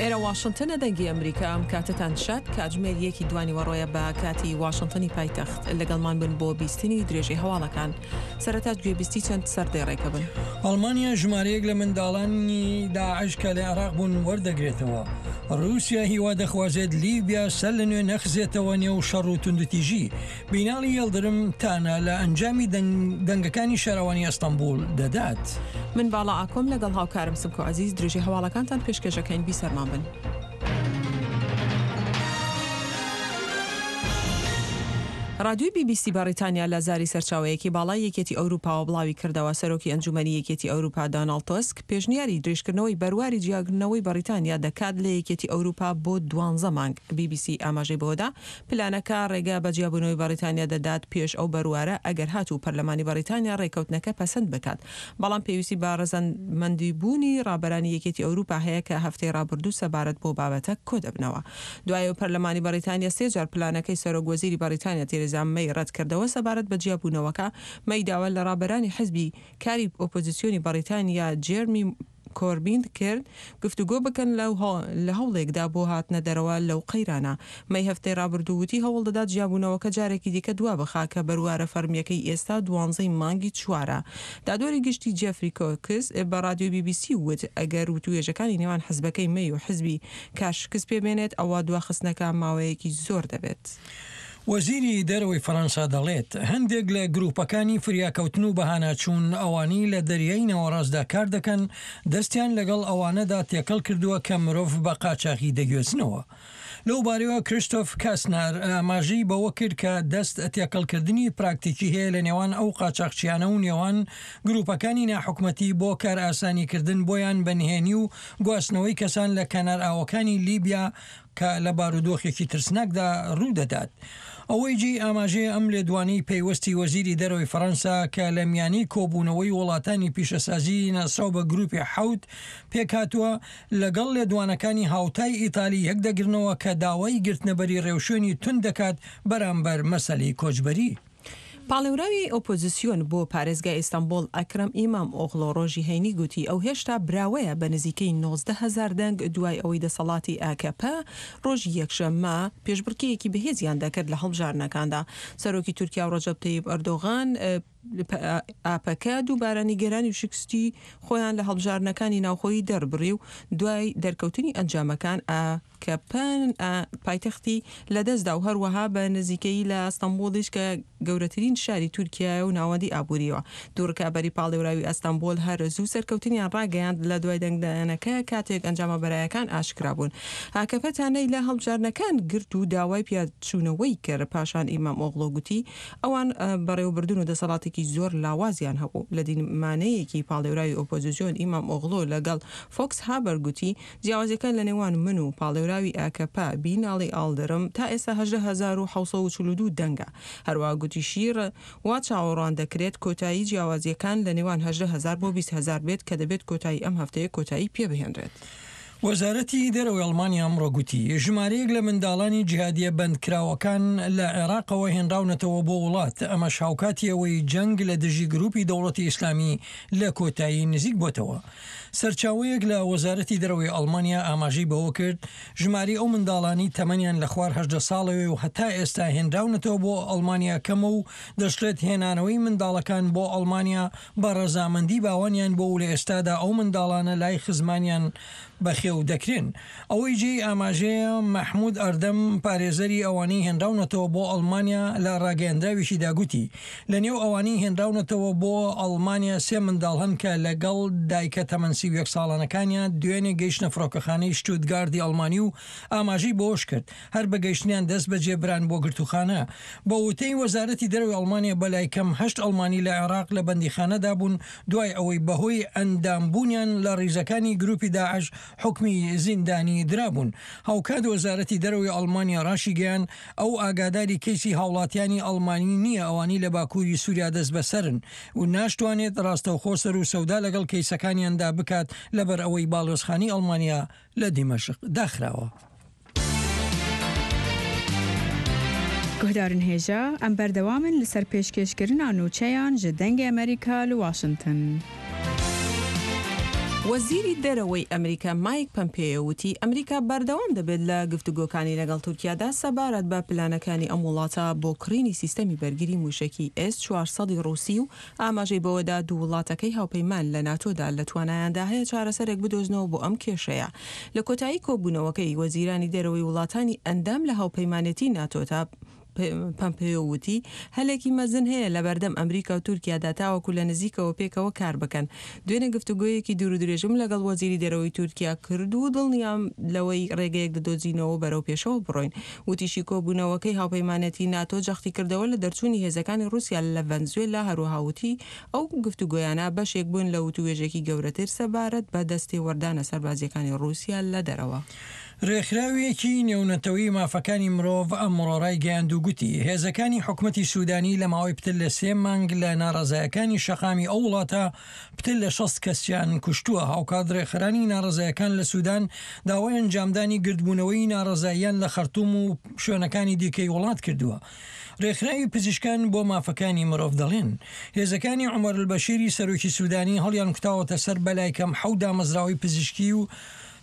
ئێرە واشنتنە دەنگی ئەمریکا ئەم کاتەتان شاد کاتژمێر یەکی دوانیوەڕۆیە بە کاتی واشنتنی پایتەخت لەگەڵمان بن بۆ بیستنی درێژەی هەواڵەکان سەرەتا گوێبیستی چەند سەردێڕێکە بن. ئەڵمانیا ژمارەیەک لە منداڵانی داعش کە لە عێراق بوون وەردەگرێتەوە. ڕووسیا هیوا دەخوازێت لیبیا سەر لە نوێ نەخزێتەوە نێو شەڕ و توندوتیژی. بیناڵی یڵدرم تانە لە ئەنجامی دەنگەکانی شارەوانی ئەستەنبوڵ دەدات. من باڵا ئاکۆم لەگەڵ هاوکارم سمکۆ عەزیز درێژەی هەواڵەکانتان پێشکێش ئەکەین بیسەرمان بن. ڕادیۆی بی بی سی بەڕیتانیا لە زاری سەرچاوەیەکی باڵای یەکێتی ئەوروپاوە بڵاوی کردەوە سەرۆکی ئەنجومەنی یەکێتی ئەوروپا داناڵد تۆسک پێشنیاری درێژکردنەوەی بەرواری جیاکردنەوەی بەڕیتانیا دەکات لە یەکێتی ئەوروپا بۆ دوانزە مانگ بی بی سی ئاماژەی بەوەدا پلانەکە ڕێگە بە جیابوونەوەی بەڕیتانیا دەدات پێش ئەو بەروارە ئەگەر هاتوو پەرلەمانی بەڕیتانیا ڕێککەوتنەکە پەسەند بکات، بەڵام پێویستی بە ڕەزامەندیبوونی ڕابەرانی یەکێتی ئەوروپا هەیە کە هەفتەی ڕابردوو سەبارەت بەو بابەتە کۆدەبنەوە. دوای ئەوەی پەرلەمانی بەڕیتانیا سێ جار پلانەکەی سەرۆک وەزیری بەڕیتانیا تێرێزا مەی ڕەتکردەوە سەبارەت بە جیابوونەوەکە، مەی داوا لە ڕابەرانی حزبی کاری ئۆپۆزیسیۆنی بەڕیتانیا جێرمی کۆربین کرد گفتوگۆ بکەن لە هەوڵێکدا بۆ هاتنە دەرەوە لەو قەیرانە. مەی هەفتەی ڕابردوو وتی هەوڵدەدات جیابوونەوەکە جارێکی دیکە دوابخا کە بەروارە فەرمییەکەی ئێستا دوانزەی مانگی چوارە. دادوەری گشتی جێفری کۆکس بە ڕادیۆی بی بی سی وت ئەگەر وتووێژەکانی نێوان حزبەکەی مەی و حزبی کار شکست پێبێنێت ئەوا دواخستنەکە ماوەیەکی زۆر دەبێت. وەزیری دەرەوەی فەرەنسا دەڵێت، هەندێک لە گروپەکانی فریاکەوتن و بەهاناچوون ئەوانەی لە دەریای ناوەڕاستدا کار دەکەن، دەستیان لەگەڵ ئەوانەدا تێکەڵ کردووە کە مرۆڤ بە قاچاغی دەگوێزنەوە. لەو بارەیەوە کریستۆف کاسنار ئاماژەی بەوە کرد کە دەست تێکەڵکردنی پراکتیکی هەیە لە نێوان ئەو قاچاخچیانە و نێوان گروپەکانی ناحکومەتی بۆ کارئاسانیکردن بۆیان بە نهێنی و گواستنەوەی کەسان لە کەنارئاوەکانی لیبیا کە لە بارودۆخێکی ترسناکدا ڕوودەدات. ئەوەی جێی ئاماژەیە ئەم لێدوانەی پەیوەستی وەزیری دەرەوەی فەرەنسا کە لە میانەی کۆبوونەوەی وڵاتانی پیشەسازی ناسراو بە گروپی حەوت پێکهاتووە لەگەڵ لێدوانەکانی هاوتای ئیتالی یەکدەگرنەوە کە داوای گرتنەبەری ڕێوشوێنی توند دەکات بەرامبەر مەسەلەی کۆچبەری. پاڵێوراوی ئۆپۆزسیۆن بۆ پارێزگای ئیستەنبوڵ ئەکرەم ئیمام ئۆغڵۆ ڕۆژی هەینی گوتی ئەو هێشتا براوەیە بە نزیکەی 19 هەزار دەنگ دوای ئەوەی دەسەڵاتی ئاکەپە ڕۆژی یەکشەممە پێشبڕکێیەکی بەهێزیان دەکرد لە هەڵبژاردنەکاندا. سەرۆکی تورکیا ڕەجەب تەیب ئەردۆغان ئاپەکە دووبارە نیگەرانی و شکستی خۆیان لە هەڵبژاردنەکانی ناوخۆیی دەربڕی و دوای دەرکەوتنی ئەنجامەکان ئاکەپە پایتەختی لەدەستدا و هەروەها بە نزیکەیی لە ئەستەنبوڵیش کە گەورەترین شاری تورکیایە و ناوەندی ئابوورییەوە. دوو ڕکابەری پاڵێوراوی ئەستەنبوڵ هەر زوو سەرکەوتنیان ڕاگەیاند لە دوای دەنگدانەکە کاتێک ئەنجامە بەرایەکان ئاشکرا بوون. ئاکەپە تانەی لە هەڵبژاردنەکان گرت و داوای پیاچوونەوەی کرد. پاشان ئیمام ئۆغڵۆ گوتی ئەوان بەڕێوەبردن و دەسەڵاتێکی زۆر لاوازیان هەبوو. لە دیمانەیەکی پاڵێوراوی ئۆپۆزیسیۆن ئیمام ئۆغڵۆ لەگەڵ فۆکس هابەر گوتی جیاوازیەکان لە نێوان من و پاڵێوراوی ئاکەپە بیناڵی ئاڵدرم تا ئێستا 18,742 دەنگە. هەروەها گوتیشی وا چاوەڕوان دەکرێت کۆتایی جیاوازیەکان لە نێوان 18 هەزار بۆ 20 هەزار بێت کە دەبێت کۆتایی ئەم هەفتەیە کۆتایی پێبهێنرێت. وەزارەتی دەرەوەی ئەڵمانیا ئەمڕۆ گوتی، ژمارەیەک لە منداڵانی جیهادییە بەندکراوەکان لە عێراقەوە هێنراونەتەوە بۆ وڵات، ئەمەش هاوکاتی ئەوەی جەنگ لە دژی گروپی دەوڵەتی ئیسلامی لە کۆتایی نزیک بۆتەوە. سەرچاوەیەک لە وەزارەتی دەرەوەی ئەڵمانیا ئاماژەی بەوە کرد، ژمارەی ئەو منداڵانەی تەمەنیان لە خوار 18 ساڵەوەیە و هەتا ئێستا هێنراونەتەوە بۆ ئەڵمانیا کەمە و دەشڵێت هێنانەوەی منداڵەکان بۆ ئەڵمانیا بە ڕەزامەندی باوانیان بووە و لە ئێستادا ئەو منداڵانە لای خزمانیان بەخێو دەکرێن. ئەوەی جێی ئاماژەیە مەحمود ئەردەم پارێزەری ئەوانەی هێنراونەتەوە بۆ ئەڵمانیا لە ڕاگەیەندراوێکیدا گوتی، لە نێو ئەوانەی هێنراونەتەوە بۆ ئەڵمانیا سێ منداڵ هەن کە لەگەڵ دایکە تەمەن 31 ساڵانەکانیان دوێنێ گەیشتنە فڕۆکەخانەی شتوتگاردی ئەڵمانی و ئاماژەی بەوەشکرد، هەر بە گەیشتنیان دەستبەجێ بران بۆ گرتووخانە. بە وتەی وەزارەتی دەرەوەی ئەڵمانیا بەلای کەم هەشت ئەڵمانی لە عێراق لە بەندیخانەدا بوون دوای ئەوەی بەهۆی ئەندامبوونیان لە ڕیزەکانی گروپی داعش حوکمی زیندانی درابوون. هاوکات وەزارەتی دەرەوەی ئەڵمانیا ڕاشیگەیاند ئەو ئاگاداری کەیسی هاوڵاتیانی ئەڵمانی نییە ئەوانەی لە باکووری سوریا دەستبەسەرن و ناشتوانێت ڕاستەوخۆ سەروسەودا لەگەڵ کەیسەکانیاندا بکات لەبەرئەوەی باڵیۆزخانەی ئەڵمانیا لە دیمەشق داخراوە. Guhdarên hêja, em berdewam in li ser pêşkêşkirina nûçeyan ji Dengê Amerîka li Washington. وەزیری دەرەوەی ئەمریکا مایک پەمپێیۆ وتی، ئەمریکا بەردەوام دەبێت لە گفتوگۆکانی لەگەڵ تورکیادا سەبارەت بە پلانەکانی ئەم وڵاتە بۆ کڕینی سیستەمی بەرگری موشەکی ئێس 400 ی ڕووسی و ئاماژەی بەوەدا دوو وڵاتەکەی هاوپەیمان لە ناتۆدا لە توانایاندا هەیە چارەسەرێک بدۆزنەوە بۆ ئەم کێشەیە. لە کۆتایی کۆبوونەوەکەی وەزیرانی دەرەوەی وڵاتانی ئەندام لە هاوپەیمانێتی ناتۆدا، پەمپێیۆ وتی، هەلێکی مەزن هەیە لەبەردەم ئەمریکا و تورکیادا تاوەکو لە نزیکەوە پێکەوە کار بکەن. دوێنێ گفتوگۆیەکی دوورودرێژم لەگەڵ وەزیری دەرەوەی تورکیا کرد و دڵنیام لەوەی رێگەیەک دەدۆزینەوە و بەرەو پێشەوە بڕۆین. وتیشی، کۆبوونەوەکەی هاوپەیمانێتی ناتۆ جەختیکردەوە لە دەرچوونی هێزەکانی رووسیا لە ڤەنزوێلا، هەروەها وتی، ئەو گفتوگۆیانە بەشێک بوون لە وتووێژێکی گەورەتر سەبارەت بە دەستێوەردانە سەربازییەکانی ڕووسیا لە دەرەوە. رێکخراوێکی نێونەتەوەیی مافەکانی مرۆڤ ئەمڕۆ رایگەیاند و گوتی، هێزەکانی حکومەتی سودانی لە ماوەی پتر لە سێ مانگ لە ناڕەزایەکانی شەقامی ئەو وڵاتە پتر لە 60 کەسیان کوشتووە. هاوکات رێکخەرانی ناڕەزایەکان لە سودان داوای ئەنجامدانی گردبوونەوەی ناڕەزاییان لە خەرتوم و شوێنەکانی دیکەی وڵات کردووە. رێکخراوی پزیشکان بۆ مافەکانی مرۆڤ دەڵێن، هێزەکانی عومەر البەشیری سەرۆکی سودانی هەڵیانکوتاوەتە سەر بەلایکەم حەوت دامەزراوەی پزیشکی و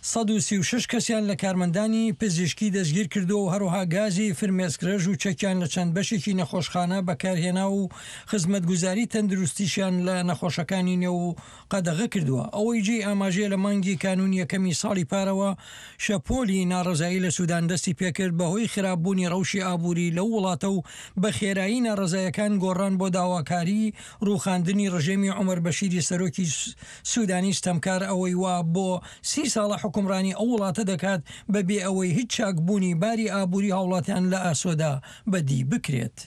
136 کەسیان لە کارمەندانی پزیشکی دەستگیرکردووە و هەروەها گازی فرمێسکڕێژ و چەکیان لە چەند بەشێکی نەخۆشخانە بەکارهێنا و خزمەتگوزاری تەندروستیشیان لە نەخۆشەکانی نێو قەدەغە کردووە. ئەوەی جێی ئاماژەیە لە مانگی کانوونی یەکەمی ساڵی پارەوە شەپۆلی ناڕەزایی لە سودان دەستی پێکرد بەهۆی خراپبوونی ڕەوشی ئابووری لەو وڵاتە و بە خێرایی ناڕەزایەکان گۆڕان بۆ داواکاری ڕووخاندنی ڕژێمی عومەر بەشیری سەرۆکی سودانی ستەمکار ئەوەی وا بۆ سی ساڵە حوکمڕانی ئەو وڵاتە دەکات بەبێ ئەوەی هیچ چاکبوونی باری ئابووری هاوڵاتیان لە ئاسۆدا بەدی بکرێت.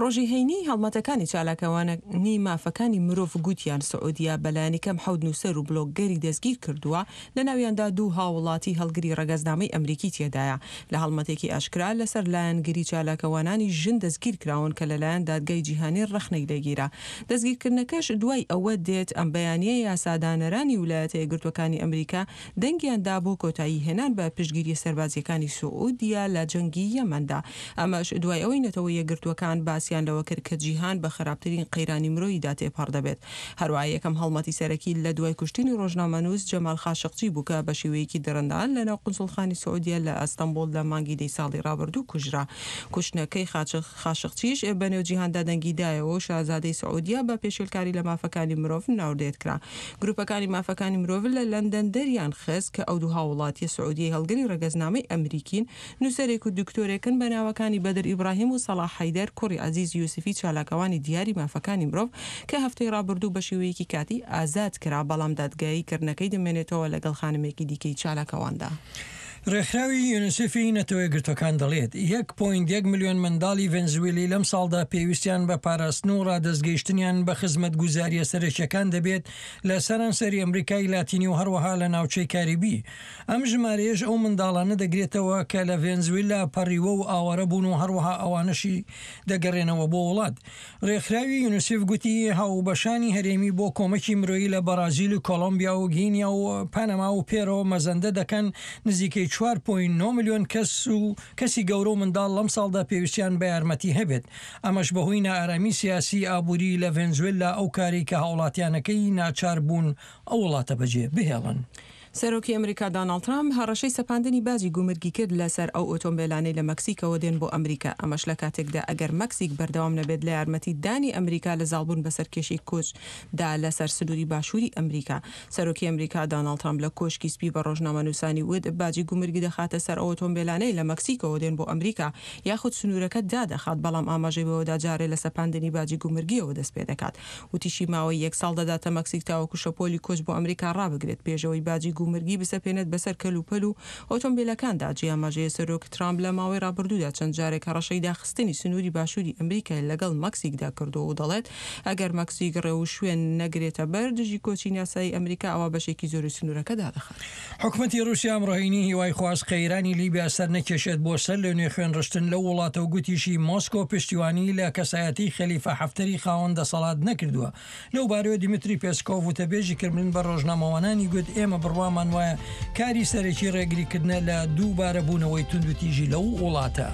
ڕۆژی هەینی، هەڵمەتەکانی چالاکوانانی مافەکانی مرۆڤ گوتیان سعودیە بەلایەنیکەم حەوت نووسەر و بلۆگگەری دەستگیرکردووە، لەناویاندا دوو هاووڵاتی هەڵگری ڕەگەزنامەی ئەمریکی تێدایە، لە هەڵمەتێکی ئاشکرا لەسەر لایەنگری چالاکوانانی ژن دەستگیرکراون کە لەلایەن دادگای جیهانی ڕەخنەی لێگیرا. دەستگیرکردنەکەش دوای ئەوە دێت ئەم بەیانییە یاسادانەرانی ولایەتە یەکگرتووەکانی ئەمریکا دەنگیان دا بۆ کۆتایی هێنان بە پشتگیریە سەربازییەکانی سعودیە لە جەنگی یەمەندا، ئەمەش دوای ئەوەی نەتەوە یەکگرتووەکان باسیان لەوە کرد کە جیهان بە خراپترین قەیرانی مرۆییدا تێپەڕ دەبێت. هەروەها یەکەم هەڵمەتی سەرەکی لە دوای کوشتنی ڕۆژنامەنووس جەمال خاشقچی بوو کە بە شێوەیەکی دڕندانە لەناو قونسوڵخانی سعودیە لە ئەستەنبوڵ لە مانگی دەی ساڵی ڕابردوو کوژرا. کوشتنەکەی خاشقچیش بەنێو جیهاندا دەنگی دایەوە و شازادەی سعودیە بە پێشێلکاری لە مافەکانی مرۆڤ ناودێر کرا. گروپەکانی مافەکانی مرۆڤ لە لەندەن دەریان خست کە ئەو دوو هاووڵاتییە سعودیەی هەڵگری ڕەگەزنامەی ئەمریکین، نووسەرێک و دکتۆرێکن بە ناوەکانی بەدر ئیبراهیم و سەڵاح حەیدەر کوڕی عەزیز یوسفی چالاکوانی دیاری مافەکانی مرۆڤ کە هەفتەی ڕابردوو بە شێوەیەکی کاتی ئازاد کرا بەڵام دادگایی کردنەکەی دەمێنێتەوە لەگەڵ خانمێکی دیکەی چالاکواندا. ڕێکخراوی یونیسێفی نەتەوەیەکگرتووەکان دەڵێت، یەک پۆینت یەک ملیۆن منداڵی ڤەنزوێلی لەمساڵدا پێویستیان بە پاراستن و ڕادەستگەیشتنیان بە خزمەتگوزارییە سەرەکییەکان دەبێت لە سەرانسەری ئەمریکای لاتینی و هەروەها لە ناوچەی کاریبی. ئەم ژمارەیەش ئەو منداڵانە دەگرێتەوە کە لە ڤێنزویلا پەڕیوە و ئاوارە بوون و هەروەها ئەوانەشی دەگەڕێنەوە بۆ وڵات. رێکخراوی یونیسیف گوتی، هاوبەشانی هەرێمی بۆ کۆمەکی مرۆیی لە بەڕازیل و کۆڵۆمبیا و گینیا و پەنەما و پێرۆ مەزەندە دەکەن نزیکەی چوار پۆینت نۆ ملیۆن کەس و کەسی گەورە و منداڵ لەمساڵدا پێویستیان بە یارمەتی هەبێت ئەمەش بەهۆی نائارامی سیاسی ئابووری لە ڤێنزوێلا ئەو کارەی کە هاوڵاتیانەکەی ناچار بوون ئەو وڵاتە بەجێ بهێڵن. سەرۆکی ئەمریکا داناڵد ترامپ هەڕەشەی سەپاندنی باجی گومرگی کرد لەسەر ئەو ئۆتۆمبێلانەی لە مەکسیکەوە دێن بۆ ئەمریکا، ئەمەش لە کاتێکدا ئەگەر مەکسیک بەردەوام نەبێت لە یارمەتی دانی ئەمریکا لە زاڵبوون بەسەر کێشەی کۆچ دا لەسەر سنووری باشووری ئەمریکا. سەرۆکی ئەمریکا داناڵد ترامپ لە کۆشکی سپی بە ڕۆژنامەنووسانی وت باجی گومرگی دەخاتە سەر ئەو ئۆتۆمبێلانەی لە مەکسیکەوە دێن بۆ ئەمریکا یاخود سنوورەکە دادەخات، بەڵام ئاماژەی بەوەدا جارێ لە سەپاندنی باجی گومرگیەوە دەستپێدەکات. وتیشی ماوەی یەک ساڵ دەداتە مەکسیک تاوەکو شەپۆلی کۆچ بۆ ئەمریکا ڕابگرێت پێشئەوەی باجی گومرگی بسەپێنێت بەسەر کەلوپەل و ئۆتۆمبیلەکاندا. جێی ئاماژەیە سەرۆک ترامپ لە ماوەی ڕابردوودا چەند جارێک هەڕەشەی داخستنی سنووری باشووری ئەمریکای لەگەڵ مەکسیکدا کردووە و دەڵێت ئەگەر مەکسیک ڕێوشوێن نەگرێتە بەر دژی کۆچی ناسایی ئەمریکا ئەوا بەشێکی زۆری سنوورەکە دادەخات. حکومەتی رووسیا ئەمڕۆ هەینی هیوای خواست قەیرانی لیبیا سەرنەکێشێت بۆ سەر لەنوێ خوێنڕشتن لەو وڵاتە و گوتیشی مۆسکۆ پشتیوانی لە کەسایەتی خەلیفە حەفتەری خاوەن دەسەڵات نەکردووە. لەو بارەیەوە دیمتری پێسکۆڤ وتەبێژی کرملن بە رۆژنامەوانانی گوت ئێمە بڕوامان وایە کاری سەرەکی رێگریکردنە لە دووبارە بوونەوەی توندوتیژی لەو وڵاتە.